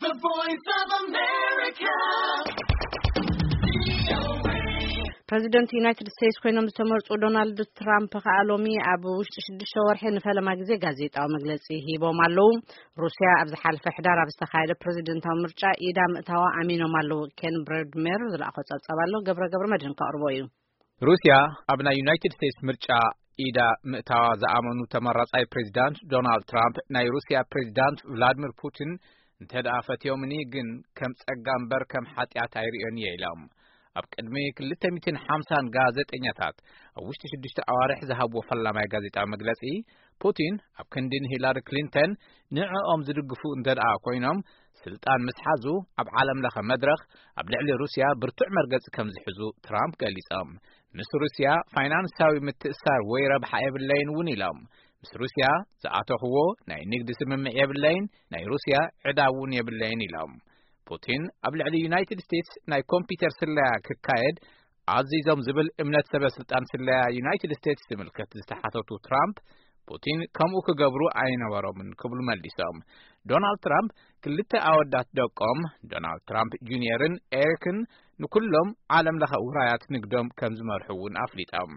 The Voice of America. ፕረዚደንት ዩናይትድ ስቴትስ ኮይኖም ዝተመርጹ ዶናልድ ትራምፕ ከኣ ሎሚ ኣብ ውሽጢ ሽዱሽተ ወርሒ ንፈለማ ግዜ ጋዜጣዊ መግለጺ ሂቦም ኣለዉ። ሩስያ ኣብ ዝሓለፈ ሕዳር ኣብ ዝተኻየደ ፕረዚደንታዊ ምርጫ ኢዳ ምእታዋ ኣሚኖም ኣለዉ። ኬን ብረድሜር ዝለኣኾ ጸብጻብ ኣሎ፣ ገብረ ገብረ መድህን ከቕርቦ እዩ። ሩስያ ኣብ ናይ ዩናይትድ ስቴትስ ምርጫ ኢዳ ምእታዋ ዝኣመኑ ተመራጻይ ፕሬዚዳንት ዶናልድ ትራምፕ፣ ናይ ሩስያ ፕሬዚዳንት ቭላድሚር ፑቲን እንተ ደኣ ፈትዮምኒ ግን ከም ጸጋ እምበር ከም ሓጢኣት ኣይርእዮን እየ ኢሎም። ኣብ ቅድሚ ክልተ ሚእትን ሓምሳን ጋዜጠኛታት ኣብ ውሽጢ ሽዱሽተ ኣዋርሕ ዝሃብዎ ፈላማይ ጋዜጣዊ መግለጺ፣ ፑቲን ኣብ ክንዲ ንሂላሪ ክሊንተን ንዕኦም ዝድግፉ እንተ ደኣ ኮይኖም፣ ስልጣን ምስ ሓዙ ኣብ ዓለም ለኸ መድረኽ ኣብ ልዕሊ ሩስያ ብርቱዕ መርገጺ ከም ዝሕዙ ትራምፕ ገሊጾም። ምስ ሩስያ ፋይናንሳዊ ምትእሳር ወይ ረብሓ የብለይን እውን ኢሎም። ምስ ሩስያ ዝኣተኽዎ ናይ ንግዲ ስምምዕ የብለይን፣ ናይ ሩስያ ዕዳ እውን የብለይን ኢሎም። ፑቲን ኣብ ልዕሊ ዩናይትድ ስቴትስ ናይ ኮምፒውተር ስለያ ክካየድ ኣዚዞም ዝብል እምነት ሰበ ስልጣን ስለያ ዩናይትድ ስቴትስ ዝምልከት ዝተሓተቱ ትራምፕ፣ ፑቲን ከምኡ ክገብሩ ኣይነበሮምን ክብሉ መሊሶም። ዶናልድ ትራምፕ ክልተ ኣወዳት ደቆም ዶናልድ ትራምፕ ጁኒየርን ኤሪክን ንኩሎም ዓለም ለኸ ውራያት ንግዶም ከም ዝመርሑ እውን ኣፍሊጦም።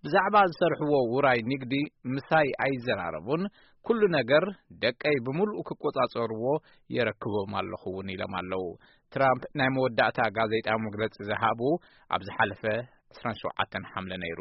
ብዛዕባ ዝሰርሕዎ ውራይ ንግዲ ምሳይ ኣይዘራረቡን፣ ኩሉ ነገር ደቀይ ብምሉኡ ክቆጻጸርዎ የረክቦም ኣለኹ እውን ኢሎም ኣለዉ። ትራምፕ ናይ መወዳእታ ጋዜጣዊ መግለጺ ዝሃቡ ኣብ ዝሓለፈ ዕስራን ሸውዓተን ሓምለ ነይሩ።